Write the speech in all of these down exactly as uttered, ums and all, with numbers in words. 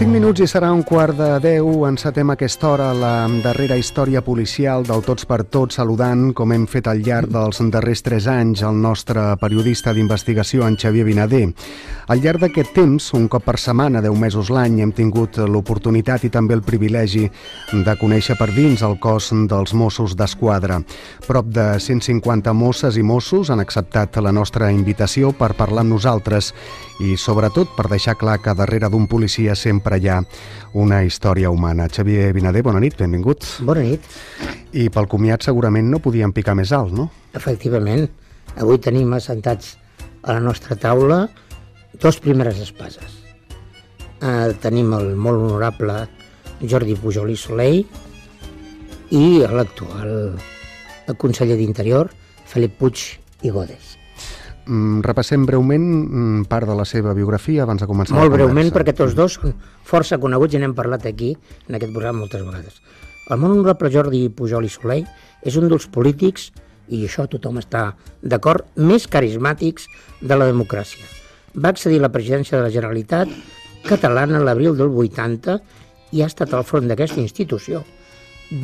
cinc minuts i serà un quart de deu. Encetem a aquesta hora la darrera història policial del Tots per Tots, saludant, com hem fet al llarg dels darrers tres anys, el nostre periodista d'investigació, en Xavier Vinader. Al llarg d'aquest temps, un cop per setmana, deu mesos l'any, hem tingut l'oportunitat i també el privilegi de conèixer per dins el cos dels Mossos d'Esquadra. Prop de cent cinquanta mosses i Mossos han acceptat la nostra invitació per parlar amb nosaltres i, sobretot, per deixar clar que darrere d'un policia sempre hi ha una història humana. Xavier Vinader, bona nit, benvingut. Bona nit. I pel comiat segurament no podíem picar més alt, no? Efectivament. Avui tenim assentats a la nostra taula dos primeres espases. Eh, tenim el molt honorable Jordi Pujol i Soley i l'actual conseller d'Interior, Felip Puig i Godés. Mm, repassem breument part de la seva biografia abans de començar Molt la conversa. breument, perquè tots dos són força coneguts i n'hem parlat aquí, en aquest programa, moltes vegades. El molt honorable Jordi Pujol i Soley és un dels polítics, i això tothom està d'acord, més carismàtics de la democràcia. Va accedir a la presidència de la Generalitat catalana l'abril del vuitanta i ha estat al front d'aquesta institució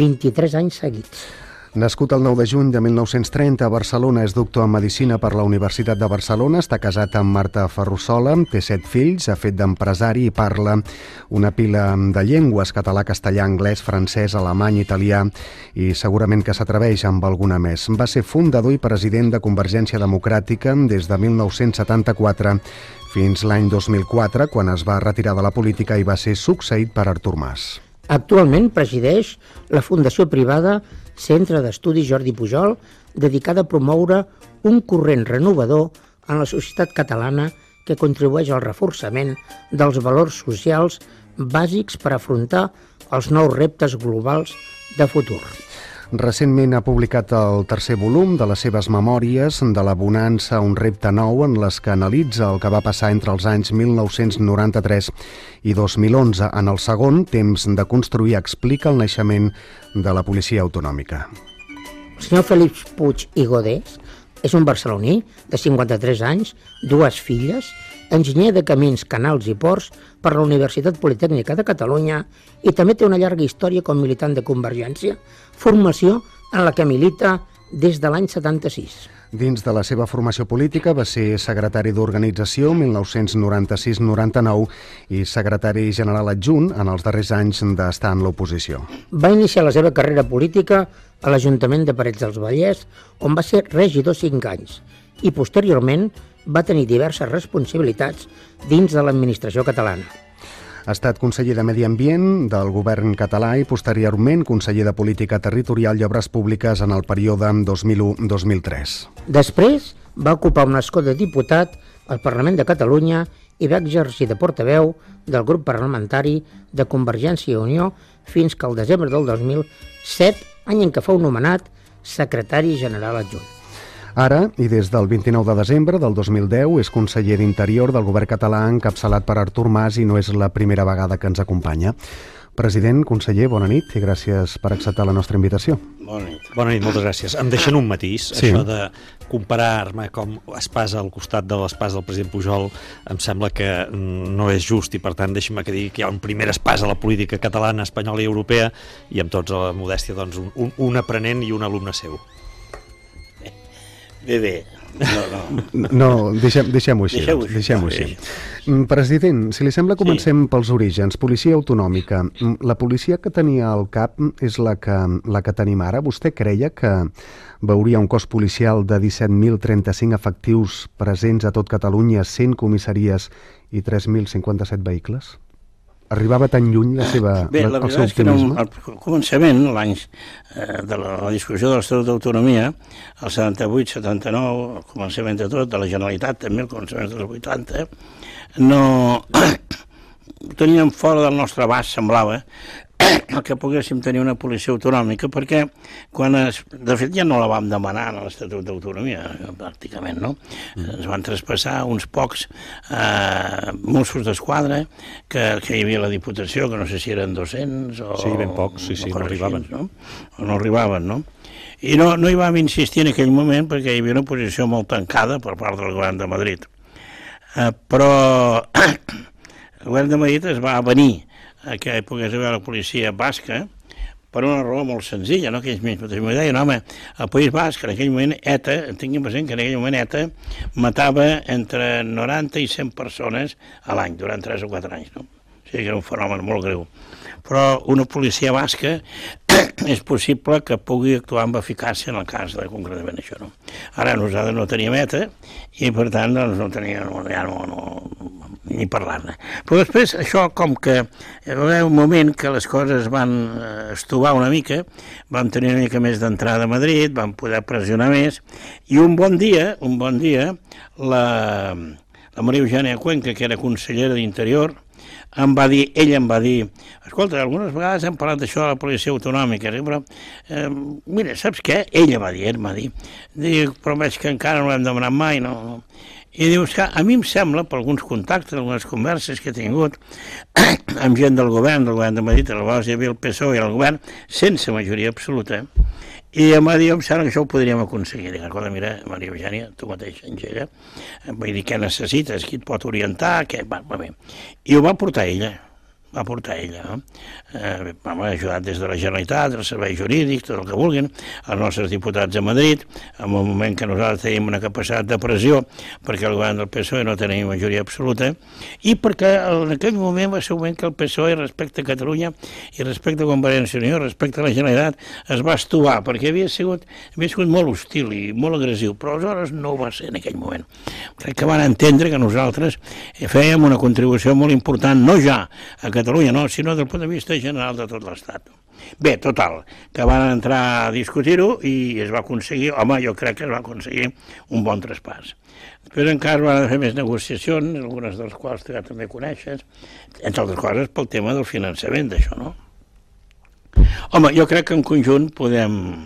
vint-i-tres anys seguits. Nascut el nou de juny de mil nou-cents trenta a Barcelona, és doctor en Medicina per la Universitat de Barcelona, està casat amb Marta Ferrusola, té set fills, ha fet d'empresari i parla una pila de llengües, català, castellà, anglès, francès, alemany, italià i segurament que s'atreveix amb alguna més. Va ser fundador i president de Convergència Democràtica des de mil nou-cents setanta-quatre fins l'any dos mil quatre, quan es va retirar de la política i va ser succeït per Artur Mas. Actualment presideix la fundació privada Centre d'Estudis Jordi Pujol, dedicada a promoure un corrent renovador en la societat catalana que contribueix al reforçament dels valors socials bàsics per afrontar els nous reptes globals de futur. Recentment ha publicat el tercer volum de les seves memòries de la bonança, un repte nou, en les que analitza el que va passar entre els anys mil nou-cents noranta-tres i dos mil onze. En el segon, Temps de construir, explica el naixement de la policia autonòmica. El senyor Felip Puig i Godés és un barceloní de cinquanta-tres anys, dues filles, enginyer de camins, canals i ports per la Universitat Politècnica de Catalunya i també té una llarga història com militant de Convergència, formació en la que milita des de l'any setanta-sis. Dins de la seva formació política va ser secretari d'organització mil nou-cents noranta-sis noranta-nou i secretari general adjunt en els darrers anys d'estar en l'oposició. Va iniciar la seva carrera política a l'Ajuntament de Parets dels Vallès, on va ser regidor cinc anys, i posteriorment va tenir diverses responsabilitats dins de l'administració catalana. Ha estat conseller de Medi Ambient del govern català i posteriorment conseller de Política Territorial i Obres Públiques en el període dos mil u a dos mil tres. Després va ocupar un escó de diputat al Parlament de Catalunya i va exercir de portaveu del grup parlamentari de Convergència i Unió fins que al desembre del dos mil set, any en què fou nomenat secretari general adjunt. Ara, i des del vint-i-nou de desembre del dos mil deu, és conseller d'Interior del govern català encapçalat per Artur Mas i no és la primera vegada que ens acompanya. President, conseller, bona nit i gràcies per acceptar la nostra invitació. Bona nit. Bona nit, moltes gràcies. Em deixen un matís, sí. Això de comparar-me com espasa al costat de l'espasa del president Pujol em sembla que no és just i per tant deixi'm que digui que hi ha un primer espasa a la política catalana, espanyola i europea i amb tots a la modèstia doncs, un, un, un aprenent i un alumne seu. Bé, bé. No, no. No, deixem, deixem-ho així. Deixem-ho així. Deixem-ho així. President, si li sembla, comencem sí. pels orígens. Policia autonòmica. La policia que tenia al cap és la que, la que tenim ara. Vostè creia que veuria un cos policial de disset mil trenta-cinc efectius presents a tot Catalunya, cent comissaries i tres mil cinquanta-set vehicles? Arribava tan lluny la seva, Bé, la, la el seu veritat és que era un, optimisme? al començament, l'any eh, de la, la discussió de l'Estatut d'Autonomia, el setanta-vuit setanta-nou, al començament de tot, de la Generalitat també, al començament dels vuitanta, no ho teníem fora del nostre abast, semblava, el que poguéssim tenir una policia autonòmica, perquè quan es, de fet ja no la vam demanar a l'Estatut d'Autonomia, pràcticament, no? Mm. Es van traspassar uns pocs eh, Mossos d'Esquadra que, que hi havia a la Diputació, que no sé si eren dos-cents o... Sí, ben pocs, sí, sí, no arribaven. No? O no arribaven, no? I no, no hi vam insistir en aquell moment perquè hi havia una posició molt tancada per part del govern de Madrid. Eh, però el govern de Madrid es va venir que pogués haver la policia basca, per una raó molt senzilla, no? Que ells mateixos m'ho deien, home, el País Basc, en aquell moment, E T A, tinguin present que en aquell moment E T A matava entre noranta i cent persones a l'any, durant tres o quatre anys, no? O sigui que era un fenomen molt greu. Però una policia basca és possible que pugui actuar amb eficàcia en el cas de concretament això, no? Ara nosaltres no teníem E T A i per tant doncs, no teníem, ja no, no, ni parlar-ne. Però després això com que hi va haver un moment que les coses van estovar una mica, vam tenir una mica més d'entrada a Madrid, vam poder pressionar més, i un bon dia, un bon dia, la, la Maria Eugènia Cuenca, que era consellera d'Interior, em va dir, ella em va dir, escolta, algunes vegades hem parlat d'això de la policia autonòmica, però, eh, mira, saps què? Ella va dir, ella va dir, diu, però veig que encara no l'hem demanat mai, no, no. I dius que a mi em sembla, per alguns contactes, algunes converses que he tingut amb gent del govern, del govern de Madrid, a la base hi havia el P S O E i el govern, sense majoria absoluta, i em va dir, em sembla que això ho podríem aconseguir. Dic, escolta, mira, Maria Eugènia, tu mateix engega, vull dir, què necessites, qui et pot orientar, què... Va, va bé. I ho va portar ella, va portar ella, no? Eh, vam ajudat des de la Generalitat, els serveis jurídics, tot el que vulguin, els nostres diputats a Madrid, en un moment que nosaltres tenim una capacitat de pressió, perquè el govern del P S O E no tenia majoria absoluta, i perquè en aquell moment va ser un moment que el P S O E respecte a Catalunya i respecte a Convergència i Unió, respecte a la Generalitat, es va estovar, perquè havia sigut, havia sigut molt hostil i molt agressiu, però aleshores no ho va ser en aquell moment. Crec que van entendre que nosaltres fèiem una contribució molt important, no ja a Catalunya, no, sinó del punt de vista general de tot l'Estat. Bé, total, que van entrar a discutir-ho i es va aconseguir, home, jo crec que es va aconseguir un bon traspàs. Després encara van fer més negociacions, algunes de les quals tu ja també coneixes, entre altres coses pel tema del finançament d'això, no? Home, jo crec que en conjunt podem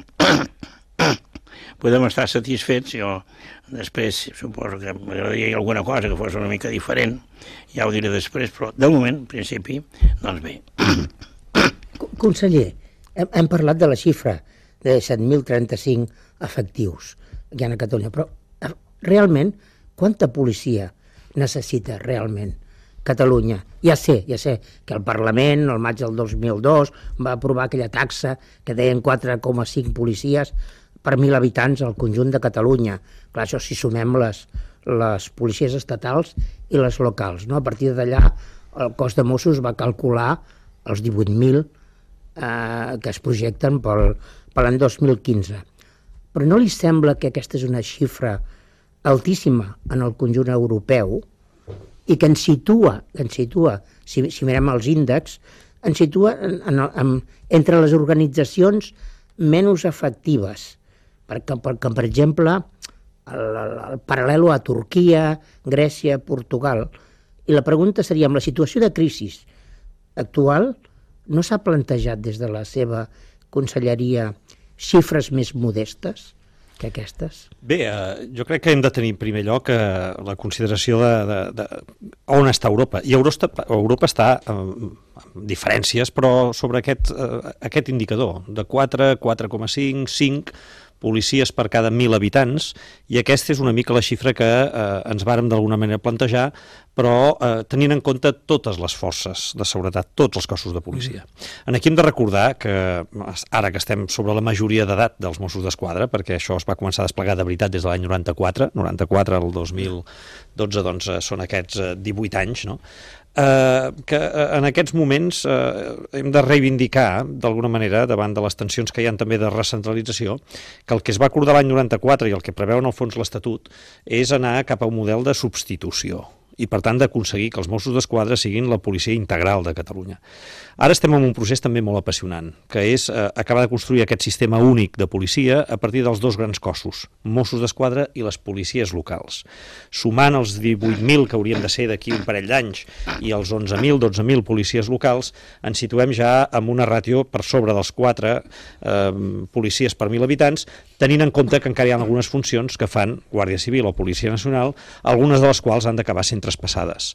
podem estar satisfets. Jo després suposo que m'agradaria alguna cosa que fos una mica diferent, ja ho diré després, però de moment, en principi, doncs bé. Conseller, hem, hem parlat de la xifra de set mil trenta-cinc efectius aquí a Catalunya, però realment, quanta policia necessita realment Catalunya? Ja sé, ja sé que el Parlament, el maig del dos mil dos, va aprovar aquella taxa que deien quatre coma cinc policies per mil habitants al conjunt de Catalunya. Clar, això si sumem les, les policies estatals i les locals, no? A partir d'allà, el cos de Mossos va calcular els divuit mil eh, que es projecten pel, per l'any dos mil quinze. Però no li sembla que aquesta és una xifra altíssima en el conjunt europeu i que ens situa, ens situa si, si mirem els índexs, ens situa en, en, en, entre les organitzacions menys efectives? Perquè, perquè per exemple, el, el paral·lelo a Turquia, Grècia, Portugal. I la pregunta seria, amb la situació de crisi actual, no s'ha plantejat des de la seva conselleria xifres més modestes que aquestes? Bé, eh, jo crec que hem de tenir en primer lloc eh, la consideració de, de, de on està Europa. I Europa, Europa està eh, amb diferències, però sobre aquest, eh, aquest indicador de quatre, quatre coma cinc, cinc policies per cada mil habitants, i aquesta és una mica la xifra que eh, ens vàrem d'alguna manera plantejar, però eh, tenint en compte totes les forces de seguretat, tots els cossos de policia. Mm. Aquí hem de recordar que ara que estem sobre la majoria d'edat dels Mossos d'Esquadra, perquè això es va començar a desplegar de veritat des de l'any noranta-quatre, noranta-quatre al dos mil dotze doncs, són aquests divuit anys, no? Eh, que en aquests moments eh, hem de reivindicar d'alguna manera davant de les tensions que hi ha també de recentralització, que el que es va acordar l'any noranta-quatre i el que preveu en el fons l'Estatut és anar cap a un model de substitució i per tant d'aconseguir que els Mossos d'Esquadra siguin la policia integral de Catalunya. Ara estem en un procés també molt apassionant, que és eh, acabar de construir aquest sistema únic de policia a partir dels dos grans cossos, Mossos d'Esquadra i les policies locals. Sumant els divuit mil que haurien de ser d'aquí un parell d'anys i els onze mil, dotze mil policies locals, ens situem ja amb una ràtio per sobre dels quatre eh, policies per mil habitants, tenint en compte que encara hi ha algunes funcions que fan Guàrdia Civil o Policia Nacional, algunes de les quals han d'acabar sent traspassades